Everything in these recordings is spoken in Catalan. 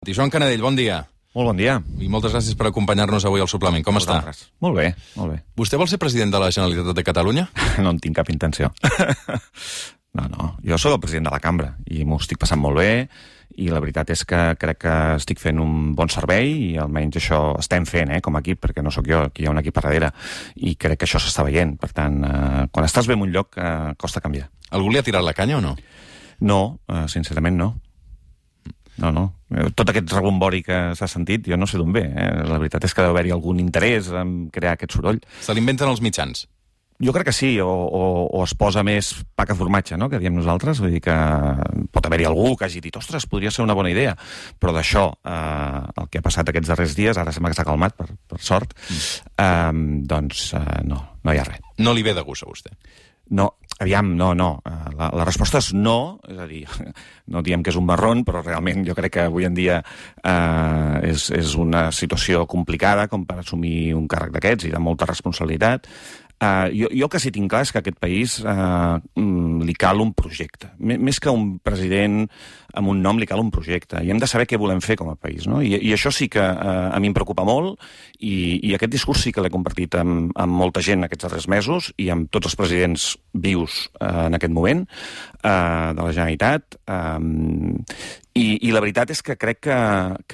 Joan Canadell, bon dia. Molt bon dia. I moltes gràcies per acompanyar-nos avui al suplement. Com està? Molt bé, molt bé. Vostè vol ser president de la Generalitat de Catalunya? No en tinc cap intenció. No. Jo sóc el president de la cambra i m'ho estic passant molt bé i la veritat és que crec que estic fent un bon servei i almenys això estem fent, com a equip, perquè no sóc jo, aquí hi ha un equip a darrere i crec que això s'està veient. Per tant, quan estàs bé en un lloc, costa canviar. Algú li ha tirat la canya o no? No, sincerament no. No. Tot aquest rebombori que s'ha sentit, jo no sé d'on ve. La veritat és que deu haver-hi algun interès en crear aquest soroll. Se l'inventen els mitjans? Jo crec que sí, o es posa més pa que formatge, no?, que diem nosaltres. Vull dir que pot haver-hi algú que hagi dit ostres, podria ser una bona idea. Però d'això, el que ha passat aquests darrers dies, ara sembla que s'ha calmat, per sort, doncs no hi ha res. No li ve de gust a vostè? No, aviam, no. La resposta és no, és a dir, no diem que és un marrón, però realment jo crec que avui en dia és una situació complicada com per assumir un càrrec d'aquests i de molta responsabilitat. Jo que sí tinc clar és que a aquest país li cal un projecte. Més que un president amb un nom, li cal un projecte. I hem de saber què volem fer com a país, no? I això sí que a mi em preocupa molt i aquest discurs sí que l'he compartit amb molta gent aquests darrers mesos i amb tots els presidents vius en aquest moment de la Generalitat. I la veritat és que crec que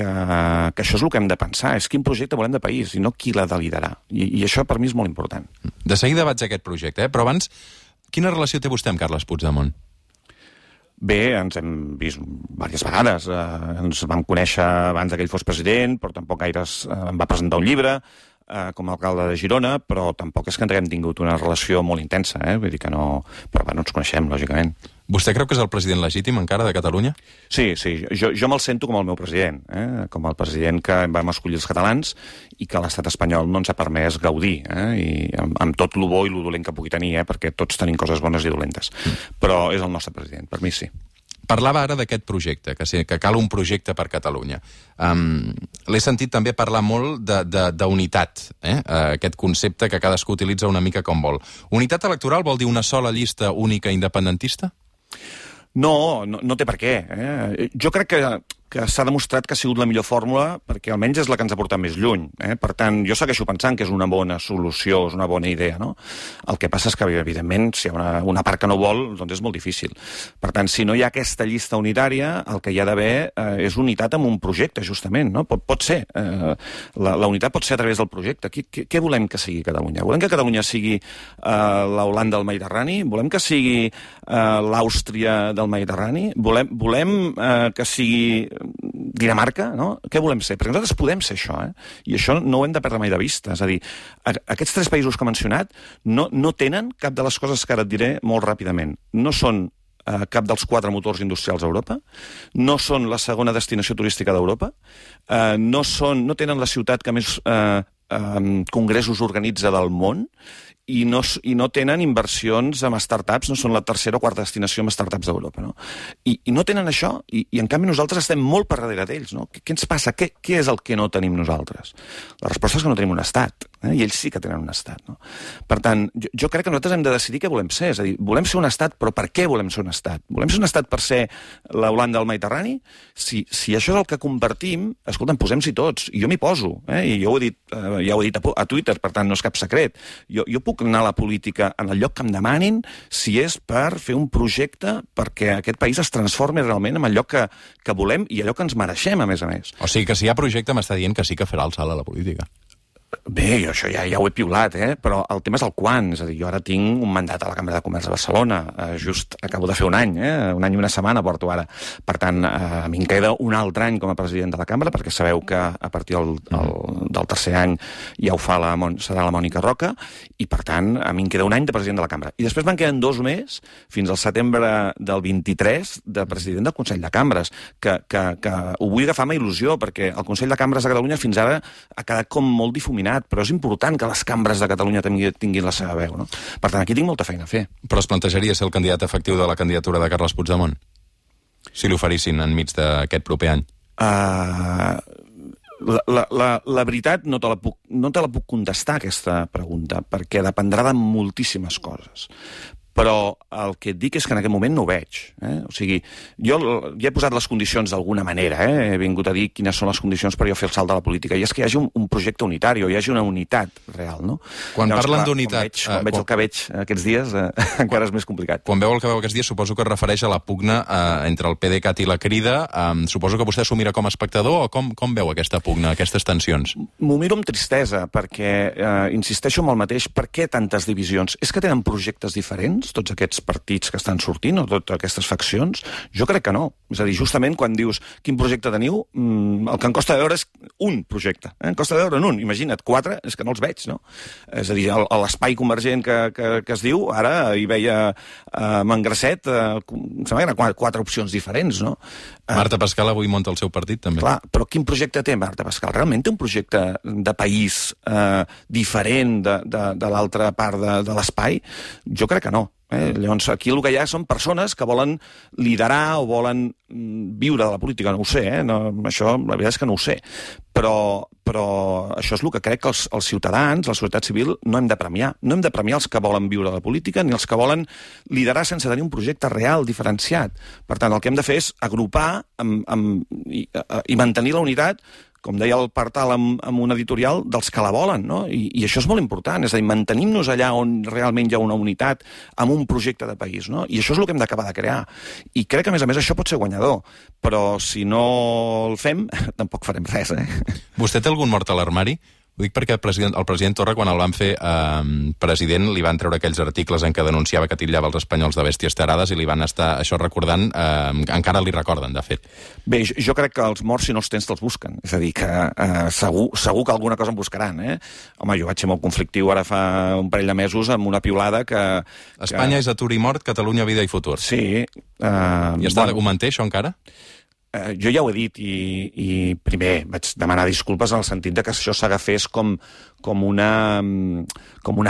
això és el que hem de pensar, és quin projecte volem de país i no qui l'ha de liderar. I això per mi és molt important. De seguida vaig a aquest projecte, però abans, quina relació té vostè amb Carles Puigdemont? Bé, ens hem vist diverses vegades. Ens vam conèixer abans que ell fos president, però tampoc gaire em va presentar un llibre com a alcalde de Girona, però tampoc és que haguem tingut una relació molt intensa, vull dir que no... Però bueno, ens coneixem, lògicament. Vostè creu que és el president legítim encara de Catalunya? Sí, jo me'l sento com el meu president, com el president que vam escollir els catalans i que l'estat espanyol no ens ha permès gaudir, i amb tot lo bo i lo dolent que pugui tenir, perquè tots tenim coses bones i dolentes. Però és el nostre president, per mi sí. Parlava ara d'aquest projecte, que cal un projecte per Catalunya. L'he sentit també parlar molt d'unitat, aquest concepte que cadascú utilitza una mica com vol. Unitat electoral vol dir una sola llista única independentista? No té per què. Jo crec que s'ha demostrat que ha sigut la millor fórmula perquè almenys és la que ens ha portat més lluny. Per tant, jo segueixo pensant que és una bona solució, és una bona idea, no? El que passa és que, evidentment, si hi ha una part que no vol, doncs és molt difícil. Per tant, si no hi ha aquesta llista unitària, el que hi ha d'haver és unitat amb un projecte, justament, no? Pot ser. La unitat pot ser a través del projecte. Què volem que sigui Catalunya? Volem que Catalunya sigui l'Holanda del Mediterrani? Volem que sigui l'Àustria del Mediterrani? Volem que sigui Dinamarca, no? Què volem ser? Perquè nosaltres podem ser això, i això no ho hem de perdre mai de vista. És a dir, aquests 3 països que he mencionat no tenen cap de les coses que ara et diré molt ràpidament. No són cap dels 4 motors industrials a Europa, no són la segona destinació turística d'Europa, no tenen la ciutat que més congressos organitza del món, i no tenen inversions en startups, no són la tercera o quarta destinació en startups d'Europa, no? I no tenen això, i en canvi nosaltres estem molt per darrere d'ells, no? Què ens passa? Què és el que no tenim nosaltres? La resposta és que no tenim un estat, i ells sí que tenen un estat, no? Per tant, jo crec que nosaltres hem de decidir què volem ser, és a dir, volem ser un estat, però per què volem ser un estat? Volem ser un estat per ser la Holanda del Mediterrani? Si això és el que compartim, escolta'm, posem-s'hi tots, i jo m'hi poso, i jo ja ho he dit a Twitter, per tant no és cap secret. Jo puc anar a la política en el lloc que em demanin si és per fer un projecte perquè aquest país es transformi realment en allò que volem i allò que ens mereixem, a més. O sigui que si hi ha projecte m'està dient que sí que farà el salt a la política. Bé, jo això ja ho he piulat, però el tema és el quan. És a dir, jo ara tinc un mandat a la Cambra de Comerç de Barcelona. Just acabo de fer un any i una setmana porto ara. Per tant, a mi em queda un altre any com a president de la Cambra, perquè sabeu que a partir del tercer any ja ho fa serà la Mònica Roca, i per tant, a mi em queda un any de president de la Cambra. I després me'n queden 2 més, fins al setembre del 23, de president del Consell de Cambres, que ho vull agafar amb il·lusió, perquè el Consell de Cambres de Catalunya fins ara ha quedat com molt difuminat, però és important que les cambres de Catalunya tinguin la seva veu, no? Per tant, aquí tinc molta feina a fer. Però es plantejaria ser el candidat efectiu de la candidatura de Carles Puigdemont? Si l'oferissin enmig d'aquest proper any? La veritat no te la puc contestar, aquesta pregunta, perquè dependrà de moltíssimes coses. però el que et dic és que en aquest moment no ho veig. O sigui, jo ja he posat les condicions d'alguna manera, he vingut a dir quines són les condicions per jo fer el salt de la política, i és que hi hagi un projecte unitari, o hi hagi una unitat real, no? Quan parlen d'unitat... Quan veig el que veig aquests dies, encara és més complicat. Quan veu el que veu aquests dies, suposo que es refereix a la pugna entre el PDeCAT i la Crida. Suposo que vostè s'ho mira com a espectador, o com veu aquesta pugna, aquestes tensions? M'ho miro amb tristesa, perquè insisteixo amb el mateix. Per què tantes divisions? És que tenen projectes diferents, tots aquests partits que estan sortint, o totes aquestes faccions? Jo crec que no. És a dir, justament quan dius quin projecte teniu, el que em costa veure és un projecte. Em costa veure un. Imagina't, 4, és que no els veig, no? És a dir, l'espai convergent que es diu, ara hi veia Mangracet, em sembla que eren 4 opcions diferents, no? Marta Pascal avui munta el seu partit, també. Clar, però quin projecte té Marta Pascal? Realment té un projecte de país diferent de l'altra part de l'espai? Jo crec que no. Llavors, aquí el que hi ha són persones que volen liderar o volen viure de la política, no ho sé, això la veritat és que no ho sé, però això és el que crec que els ciutadans, la societat civil, no hem de premiar. No hem de premiar els que volen viure de la política ni els que volen liderar sense tenir un projecte real, diferenciat. Per tant, el que hem de fer és agrupar i mantenir la unitat, com deia el Partal amb un editorial, dels que la volen, no? I això és molt important, és a dir, mantenim-nos allà on realment hi ha una unitat amb un projecte de país, no? I això és el que hem d'acabar de crear. I crec que, a més, això pot ser guanyador, però si no el fem, tampoc farem res, Vostè té algun mort a l'armari? Ho dic perquè el president Torra, quan el van fer president, li van treure aquells articles en què denunciava que titllava els espanyols de bèsties tarades i li van estar això recordant, encara li recorden, de fet. Bé, jo crec que els morts, si no els tens, te'ls busquen. És a dir, que segur que alguna cosa en buscaran, Home, jo vaig ser molt conflictiu ara fa un parell de mesos amb una piulada que... Espanya és atur i mort, Catalunya vida i futur. Sí. Ho manté, això, encara? Jo ja ho he dit i primer vaig demanar disculpes en el sentit de que això s'agafés com un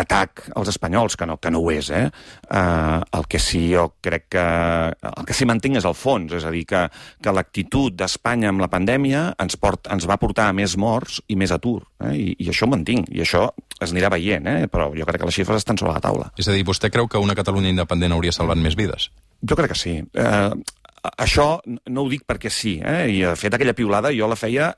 atac als espanyols, que no ho és, El que sí jo crec que... El que sí mantinc és el fons, és a dir, que l'actitud d'Espanya amb la pandèmia ens va portar a més morts i més atur, i això ho mantinc, i això es anirà veient, però jo crec que les xifres estan sobre la taula. És a dir, vostè creu que una Catalunya independent hauria salvat més vides? Jo crec que sí. Això no ho dic perquè sí, i de fet aquella piulada jo la feia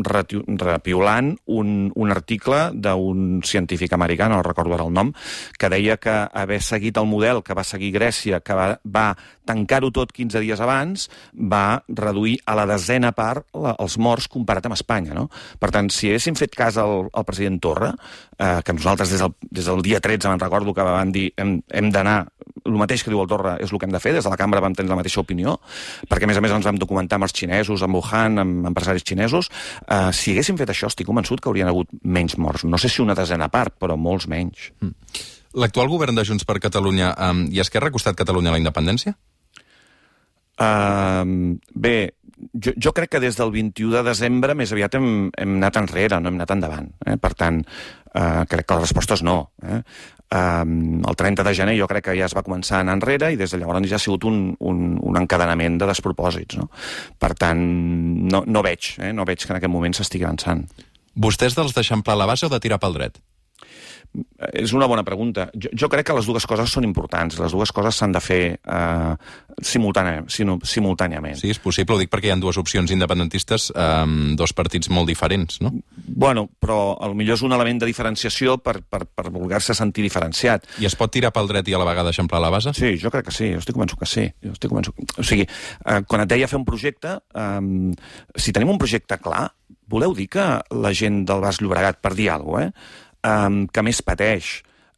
repiulant un article d'un científic americà, no recordo ara el nom, que deia que haver seguit el model que va seguir Grècia, que va tancar-ho tot 15 dies abans, va reduir a la 10ª part els morts comparat amb Espanya, no? Per tant, si haguéssim fet cas al president Torra, que nosaltres des del dia 13 me'n recordo que van dir hem d'anar, el mateix que diu el Torra és el que hem de fer, des de la cambra vam tenir la mateixa opinió, perquè a més ens vam documentar amb els xinesos, amb Wuhan, amb empresaris xinesos. Si haguéssim fet això, estic convençut que haurien hagut menys morts. No sé si una 10ª part, però molts menys. L'actual govern de Junts per Catalunya i Esquerra ha costat Catalunya a la independència? Bé, jo crec que des del 21 de desembre més aviat hem anat enrere, no hem anat endavant. Per tant, crec que la resposta és no. El 30 de gener jo crec que ja es va començar a anar enrere i des de llavors ja ha sigut un encadenament de despropòsits. No? Per tant, no veig que en aquest moment s'estigui avançant. Vostè és dels d'eixamplar la base o de tirar pel dret? És una bona pregunta. Jo crec que les dues coses són importants. Les dues coses s'han de fer simultàniament. Sí, és possible. Ho dic perquè hi ha dues opcions independentistes, dos partits molt diferents, no? Bueno, però potser és un element de diferenciació per voler-se sentir diferenciat. I es pot tirar pel dret i a la vegada eixamplar la base? Sí, jo crec que sí. Jo estic convençut que sí. O sigui, quan et deia fer un projecte, si tenim un projecte clar, voleu dir que la gent del Baix Llobregat, per dir alguna cosa, que més pateix,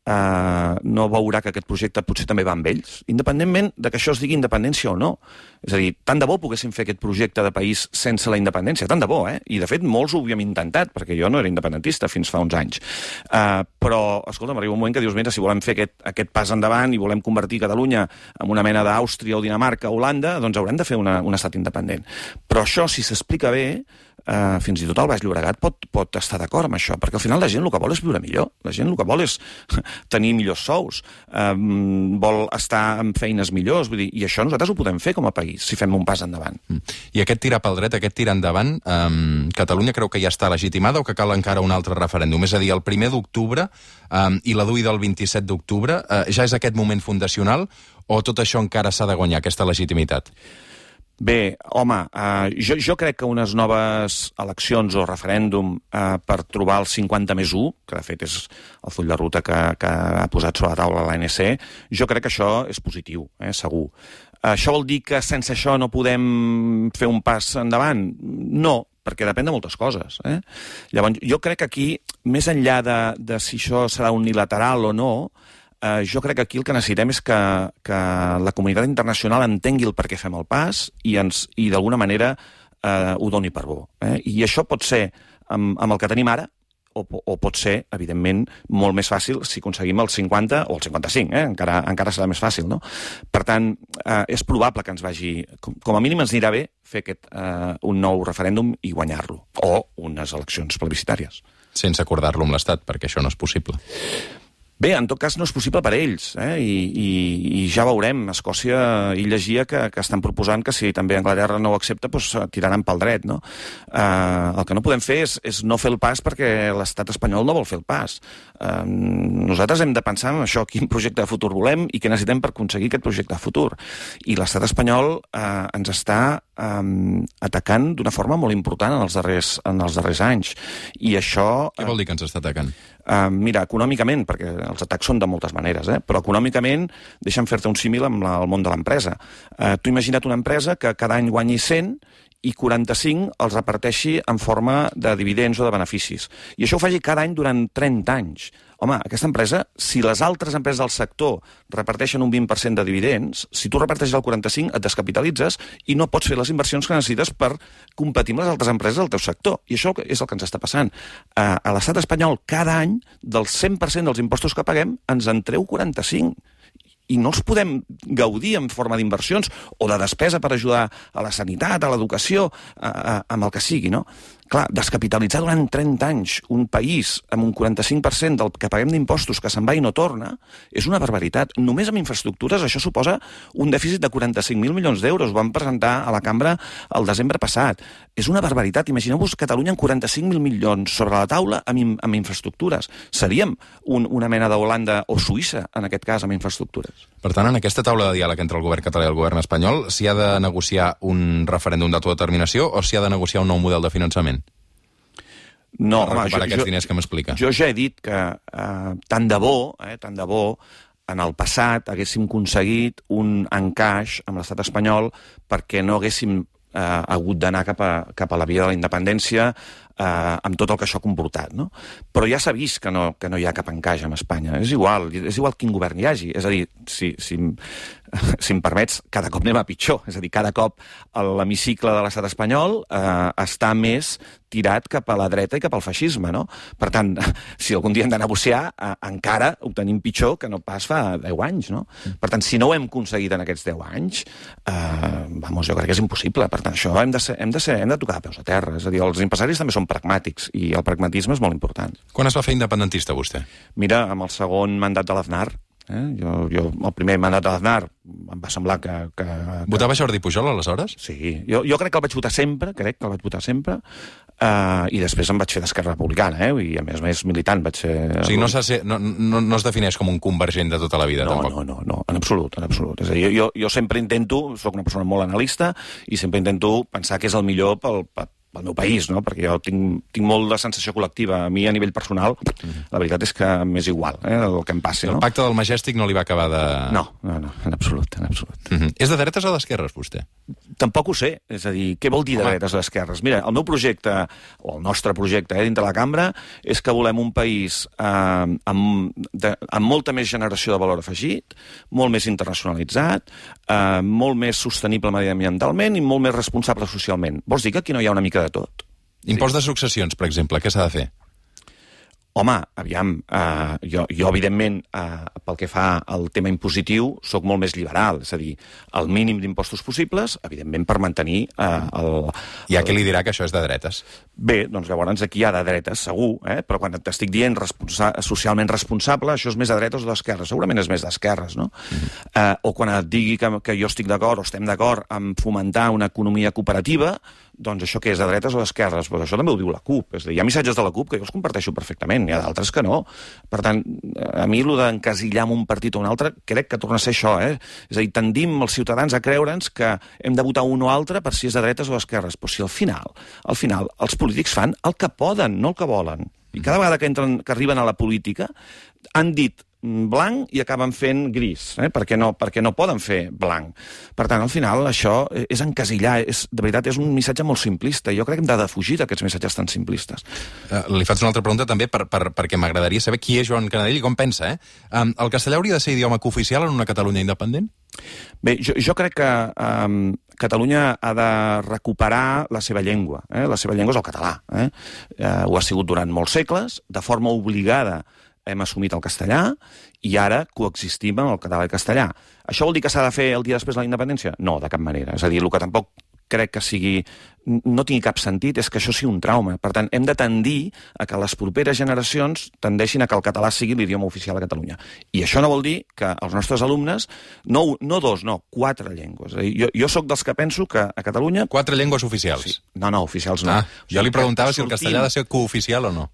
no veurà que aquest projecte potser també va amb ells, independentment de que això es digui independència o no. És a dir, tant de bo poguéssim fer aquest projecte de país sense la independència, tant de bo, I de fet molts ho havíem intentat, perquè jo no era independentista fins fa uns anys. Però, escolta'm, arriba un moment que dius, mira, si volem fer aquest pas endavant i volem convertir Catalunya en una mena d'Àustria o Dinamarca o Holanda, doncs haurem de fer un estat independent. Però això, si s'explica bé, fins i tot el Baix Llobregat pot estar d'acord amb això, perquè al final la gent el que vol és viure millor, la gent el que vol és tenir millors sous, vol estar amb feines millors, vull dir, i això nosaltres ho podem fer com a país, si fem un pas endavant. I aquest tirar pel dret, aquest tirar endavant, Catalunya creu que ja està legitimada o que cal encara un altre referèndum? És a dir, el 1 d'octubre i la DUI del 27 d'octubre, ja és aquest moment fundacional o tot això encara s'ha de guanyar, aquesta legitimitat? Bé, home, jo crec que unes noves eleccions o referèndum per trobar el 50+1, que de fet és el full de ruta que ha posat sobre la taula l'ANC, jo crec que això és positiu, segur. Això vol dir que sense això no podem fer un pas endavant? No, perquè depèn de moltes coses. Llavors, jo crec que aquí, més enllà de si això serà unilateral o no, jo crec que aquí el que necessitem és que la comunitat internacional entengui el per què fem el pas i d'alguna manera ho doni per bo. I això pot ser amb el que tenim ara o pot ser, evidentment, molt més fàcil si aconseguim el 50 o el 55, encara serà més fàcil, no? Per tant, és probable que ens vagi... Com a mínim ens anirà bé fer un nou referèndum i guanyar-lo, o unes eleccions plebiscitàries. Sense acordar-lo amb l'Estat, perquè això no és possible. Bé, en tot cas no és possible per ells, i ja veurem. Escòcia, ell llegia que estan proposant que si també Anglaterra no ho accepta, doncs tiraran pel dret, no? El que no podem fer és no fer el pas perquè l'estat espanyol no vol fer el pas. Nosaltres hem de pensar en això, quin projecte de futur volem i què necessitem per aconseguir aquest projecte de futur. I l'estat espanyol ens està atacant d'una forma molt important en els darrers anys. I això... Què vol dir que ens està atacant? Mira, econòmicament, perquè els atacs són de moltes maneres, però econòmicament, deixa'm fer-te un símil amb el món de l'empresa. Tu imagina't una empresa que cada any guanyi 100 i 45 els reparteixi en forma de dividends o de beneficis. I això ho faci cada any durant 30 anys. Home, aquesta empresa, si les altres empreses del sector reparteixen un 20% de dividends, si tu reparteixes el 45, et descapitalitzes i no pots fer les inversions que necessites per competir amb les altres empreses del teu sector. I això és el que ens està passant. A l'estat espanyol, cada any, del 100% dels impostos que paguem, ens en treu 45. I no els podem gaudir en forma d'inversions o de despesa per ajudar a la sanitat, a l'educació, amb el que sigui, no? Clar, descapitalitzar durant 30 anys un país amb un 45% del que paguem d'impostos que se'n va i no torna és una barbaritat. Només amb infraestructures això suposa un dèficit de 45.000 milions d'euros. Ho vam presentar a la cambra el desembre passat. És una barbaritat. Imagineu-vos Catalunya amb 45.000 milions sobre la taula amb infraestructures. Seríem una mena d'Holanda o Suïssa, en aquest cas, amb infraestructures. Per tant, en aquesta taula de diàleg entre el govern català i el govern espanyol, s'hi ha de negociar un referèndum d'autodeterminació o s'hi ha de negociar un nou model de finançament? No, home, aquests diners que m'explica. Jo ja he dit que tant de bo, en el passat haguéssim aconseguit un encaix amb l'estat espanyol perquè no haguéssim hagut d'anar cap a la via de la independència amb tot el que això ha comportat, no? Però ja s'ha vist que no hi ha cap encaix amb Espanya. És igual quin govern hi hagi. És a dir, si em permets, cada cop anem a pitjor. És a dir, cada cop l'hemicicle de l'estat espanyol està més tirat cap a la dreta i cap al feixisme, no? Per tant, si algun dia hem de negociar, encara ho tenim pitjor que no pas fa 10 anys, no? Per tant, si no ho hem aconseguit en aquests 10 anys, jo crec que és impossible. Per tant, això hem de tocar de peus a terra. És a dir, els empresaris també són pragmàtics i el pragmatisme és molt important. Quan es va fer independentista, vostè? Mira, amb el segon mandat de l'Aznar. Jo el primer mandat de l'Aznar em va semblar que... Votava Jordi Pujol, aleshores? Sí, jo crec que el vaig votar sempre, i després em vaig fer d'Esquerra Republicana, i a més militant vaig ser... O sigui, no es defineix com un convergent de tota la vida, tampoc? No, en absolut. És a dir, jo sempre intento, soc una persona molt analista, i sempre intento pensar que és el millor pel meu país, no? Perquè jo tinc molt de sensació col·lectiva. A mi, a nivell personal, la veritat és que m'és igual el que em passi. El pacte del Majestic no li va acabar de... No, en absolut. És de dretes o d'esquerres, vostè? Tampoc ho sé. És a dir, què vol dir de dretes o d'esquerres? Mira, el meu projecte, o el nostre projecte dintre la cambra, és que volem un país amb molta més generació de valor afegit, molt més internacionalitzat, molt més sostenible mediambientalment i molt més responsable socialment. Vols dir que aquí no hi ha una mica de tot? Impost de successions, per exemple, què s'ha de fer? Home, aviam, jo evidentment, pel que fa al tema impositiu, sóc molt més liberal, és a dir, el mínim d'impostos possibles, evidentment per mantenir el... Hi ha qui li dirà que això és de dretes. Bé, doncs llavors aquí hi ha de dretes, segur, però quan t'estic dient socialment responsable, això és més de dretes o d'esquerres? Segurament és més d'esquerres, no? O quan et digui que jo estic d'acord o estem d'acord en fomentar una economia cooperativa, doncs això què és, de dretes o d'esquerres? Doncs això també ho diu la CUP. És a dir, hi ha missatges de la CUP que jo els comparteixo perfectament, hi ha d'altres que no. Per tant, a mi el d'encasillar en un partit o un altre crec que torna a ser això, És a dir, tendim els ciutadans a creure'ns que hem de votar un o altre per si és de dretes o d'esquerres. Però si al final, els polítics fan el que poden, no el que volen. I cada vegada que arriben a la política han dit blanc i acaben fent gris, perquè no poden fer blanc. Per tant, al final, això és encasillar, de veritat, és un missatge molt simplista. Jo crec que hem de defugir d'aquests missatges tan simplistes. Li faig una altra pregunta també perquè m'agradaria saber qui és Joan Canadell i com pensa. El castellà hauria de ser idioma cooficial en una Catalunya independent? Bé, jo crec que Catalunya ha de recuperar la seva llengua. La seva llengua és el català. Ho ha sigut durant molts segles, de forma obligada hem assumit el castellà i ara coexistim amb el català i el castellà. Això vol dir que s'ha de fer el dia després de la independència? No, de cap manera. És a dir, el que tampoc crec que no tingui cap sentit és que això sigui un trauma. Per tant, hem de tendir a que les properes generacions tendeixin a que el català sigui l'idioma oficial a Catalunya. I això no vol dir que els nostres alumnes, no 4 llengües. Jo sóc dels que penso que a Catalunya... 4 llengües oficials? Sí. No, oficials no. Jo li preguntava si el castellà ha de ser cooficial o no.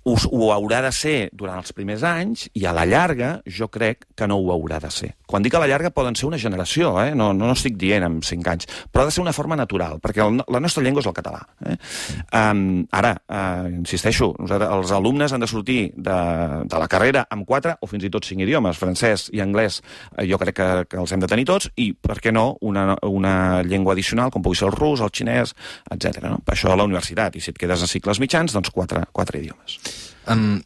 Ho haurà de ser durant els primers anys i a la llarga jo crec que no ho haurà de ser. Quan dic a la llarga poden ser una generació, no estic dient en 5 anys, però ha de ser una forma natural, perquè la nostra llengua és el català. Ara, insisteixo, els alumnes han de sortir de la carrera amb 4 o fins i tot 5 idiomes, francès i anglès, jo crec que els hem de tenir tots, i, per què no, una llengua addicional, com pugui ser el rus, el xinès, etc. Per això a la universitat, i si et quedes a cicles mitjans, doncs 4 idiomes.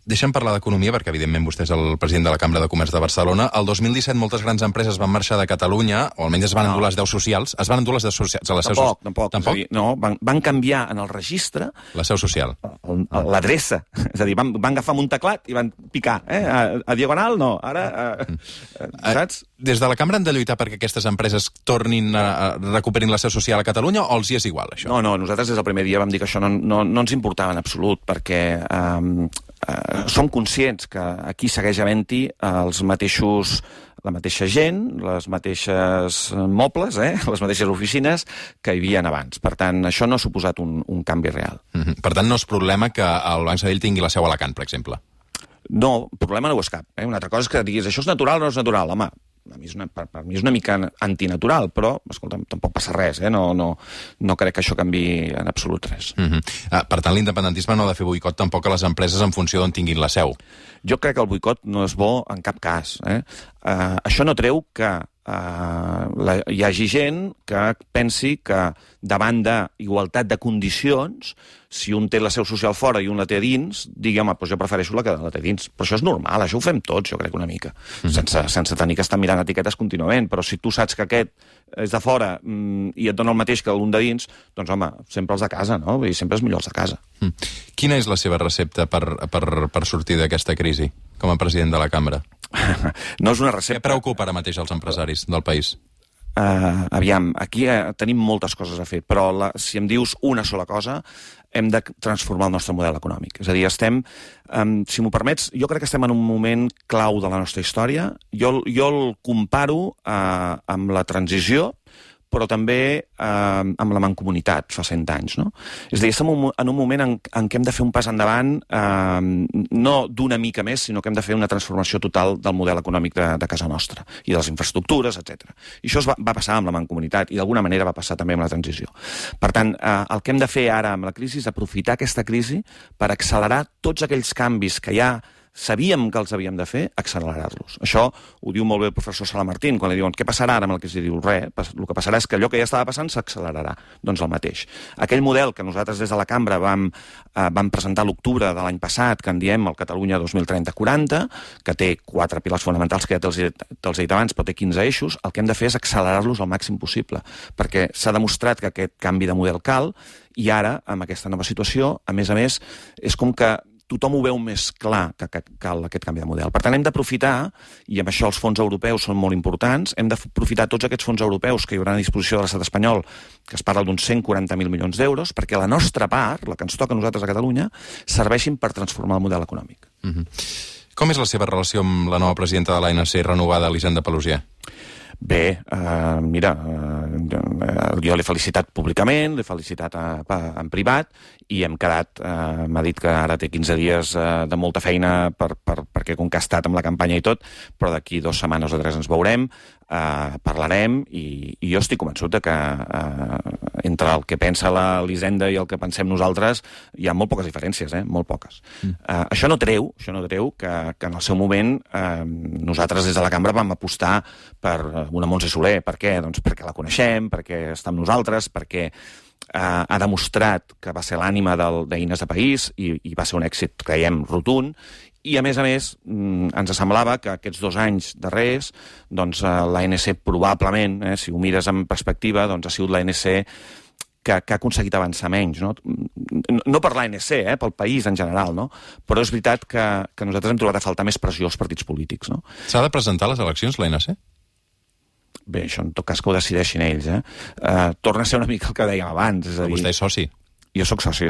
Deixem parlar d'economia, perquè evidentment vostè és el president de la Cambra de Comerç de Barcelona. El 2017 moltes grans empreses van marxar de Catalunya, o almenys es van endur les 10 socials. Es van endur les 10 socials a la seu social? Tampoc. És a dir, no, van canviar en el registre... La seu social. L'adreça. És a dir, van agafar un teclat i van picar. A diagonal, no. Ara, saps? Des de la Cambra han de lluitar perquè aquestes empreses recuperin la seu social a Catalunya, o els hi és igual, això? No, nosaltres des del primer dia vam dir que això no ens importava en absolut, perquè som conscients que aquí segueix havent-hi la mateixa gent, les mateixes mobles, les mateixes oficines que hi havia abans. Per tant, això no ha suposat un canvi real. Per tant, no és problema que el Banc Sabadell tingui la seu a Alacant, per exemple? No, problema no ho és cap. Una altra cosa és que diguis, això és natural o no és natural? Home, per mi és una mica antinatural, però, escolta'm, tampoc passa res, no crec que això canvi en absolut res. Per tant, l'independentisme no ha de fer boicot tampoc a les empreses en funció d'on tinguin la seu. Jo crec que el boicot no és bo en cap cas. Això no treu que hi hagi gent que pensi que davant d'igualtat de condicions, si un té la seu social fora i un la té dins, digui, home, doncs jo prefereixo la que la té dins. Però això és normal, això ho fem tots, jo crec, una mica. Sense tenir que estar mirant etiquetes contínuament. Però si tu saps que aquest és de fora i et dona el mateix que l'un de dins, doncs, home, sempre els de casa, no? I sempre és millor els de casa. Quina és la seva recepta per sortir d'aquesta crisi, com a president de la Cambra? No és una recepta... Què preocupa ara mateix els empresaris del país? Aviam, aquí tenim moltes coses a fer, però si em dius una sola cosa, hem de transformar el nostre model econòmic. És a dir, si m'ho permets, jo crec que estem en un moment clau de la nostra història. Jo el comparo amb la transició, però també amb la mancomunitat fa 100 anys. No? És a dir, estem en un moment en què hem de fer un pas endavant, no d'una mica més, sinó que hem de fer una transformació total del model econòmic de casa nostra, i de les infraestructures, etc. I això va passar amb la mancomunitat, i d'alguna manera va passar també amb la transició. Per tant, el que hem de fer ara amb la crisi és aprofitar aquesta crisi per accelerar tots aquells canvis que ja sabíem que els havíem de fer, accelerar-los. Això ho diu molt bé el professor Sala Martín, quan li diuen què passarà ara amb el que es diu res, el que passarà és que allò que ja estava passant s'accelerarà. Doncs el mateix. Aquell model que nosaltres des de la Cambra vam presentar a l'octubre de l'any passat, que en diem el Catalunya 2030-40, que té 4 pilars fonamentals que ja te'ls he dit abans, però té 15 eixos, el que hem de fer és accelerar-los al màxim possible, perquè s'ha demostrat que aquest canvi de model cal, i ara, amb aquesta nova situació, a més, és com que tothom ho veu més clar que cal aquest canvi de model. Per tant, hem d'aprofitar, i amb això els fons europeus són molt importants, hem d'aprofitar tots aquests fons europeus que hi haurà a disposició de l'estat espanyol, que es parla d'uns 140.000 milions d'euros, perquè la nostra part, la que ens toca a nosaltres a Catalunya, serveixin per transformar el model econòmic. Com és la seva relació amb la nova presidenta de l'ANC renovada, Elisenda Paluzie? Bé, mira, jo l'he felicitat públicament, l'he felicitat en privat, i hem quedat, m'ha dit que ara té 15 dies de molta feina perquè com que ha estat amb la campanya i tot, però d'aquí 2 setmanes o 3 ens veurem, parlarem, i jo estic convençut que entre el que pensa l'Elisenda i el que pensem nosaltres hi ha molt poques diferències, molt poques. Això no treu que en el seu moment nosaltres des de la cambra vam apostar per una Montse Soler. Per què? Doncs perquè la coneixem, perquè està amb nosaltres, perquè ha demostrat que va ser l'ànima d'Eines de País i va ser un èxit, creiem, rotund, i a més, ens semblava que aquests 2 anys darrers, doncs l'ANC probablement, si ho mires en perspectiva, doncs ha sigut l'ANC que ha aconseguit avançar menys, no per l'ANC, pel país en general, no? Però és veritat que nosaltres hem trobat a faltar més pressió als partits polítics. No? S'ha de presentar a les eleccions, l'ANC? Bé, això en tot cas que ho decideixin ells. Torna a ser una mica el que dèiem abans. És a dir, vostè és soci. Jo soc soci.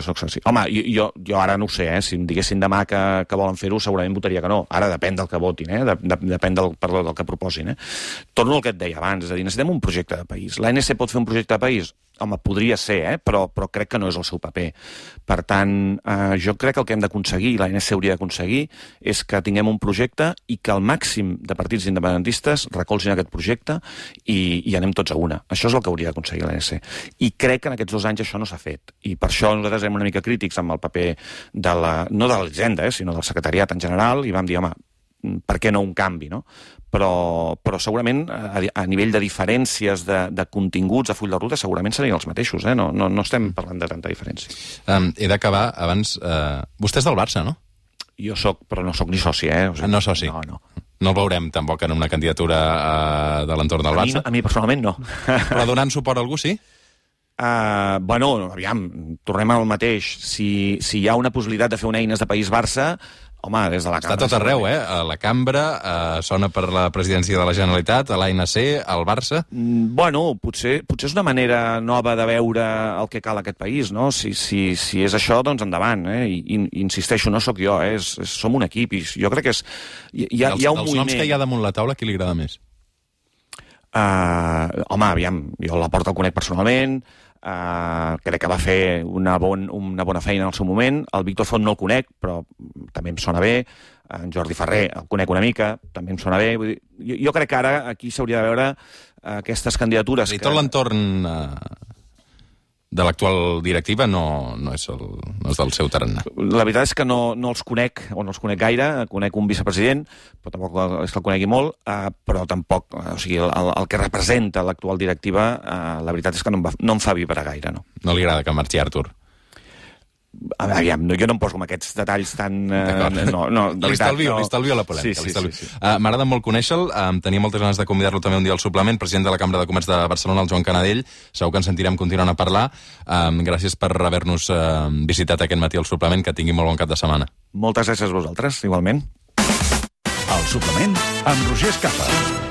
Home, jo ara no ho sé, si em diguessin demà que volen fer-ho, segurament votaria que no. Ara depèn del que votin, depèn del que proposin. Torno al que et deia abans, és a dir, necessitem un projecte de país. L'ANC pot fer un projecte de país? Home, podria ser, però crec que no és el seu paper. Per tant, jo crec que el que hem d'aconseguir, i l'ANC hauria d'aconseguir, és que tinguem un projecte i que el màxim de partits independentistes recolzin aquest projecte i anem tots a una. Això és el que hauria d'aconseguir l'ANC. I crec que en aquests 2 anys això no s'ha fet. I per això nosaltres érem una mica crítics amb el paper no de l'Hisenda, sinó del secretariat en general, i vam dir, home, per què no un canvi, no? Però segurament a nivell de diferències de continguts a full de ruta segurament serien els mateixos, no estem parlant de tanta diferència. He d'acabar abans... Vostè és del Barça, no? Jo soc, però no soc ni soci, O sigui, no soci? No. No el veurem tampoc en una candidatura de l'entorn del Barça? A mi personalment no. Però donant suport a algú, sí? Bueno, aviam, tornem al mateix. Si hi ha una possibilitat de fer una Eines de País Barça, home, des de la cambra... Està tot arreu, A la cambra, sona per la presidència de la Generalitat, a l'ANC, al Barça... Bueno, potser és una manera nova de veure el que cal a aquest país, no? Si és això, doncs endavant, I insisteixo, no sóc jo, som un equip, i jo crec que és... Hi ha un moviment... Els noms que hi ha damunt la taula, qui li agrada més? Home, aviam, jo la Porta el conec personalment, crec que va fer una bona feina en el seu moment. El Víctor Font no el conec, però també em sona bé. En Jordi Ferrer el conec una mica, també em sona bé. Vull dir, jo crec que ara aquí s'hauria de veure aquestes candidatures... I tot l'entorn de l'actual directiva no és del seu tarannà. La veritat és que no els conec, o no els conec gaire. Conec un vicepresident, però tampoc és que el conegui molt, però tampoc, o sigui, el que representa l'actual directiva, la veritat és que no em fa vibrar gaire, no. No li agrada que marxi Artur? Aviam, jo no em poso amb aquests detalls tan... Li estalvio la polèmica. Sí. M'agrada molt conèixer-lo. Tenia moltes ganes de convidar-lo també un dia al suplement, president de la Cambra de Comerç de Barcelona, el Joan Canadell. Segur que ens sentirem continuant a parlar. Gràcies per haver-nos visitat aquest matí al suplement. Que tingui molt bon cap de setmana. Moltes gràcies a vosaltres, igualment. El suplement amb Roger Escapa.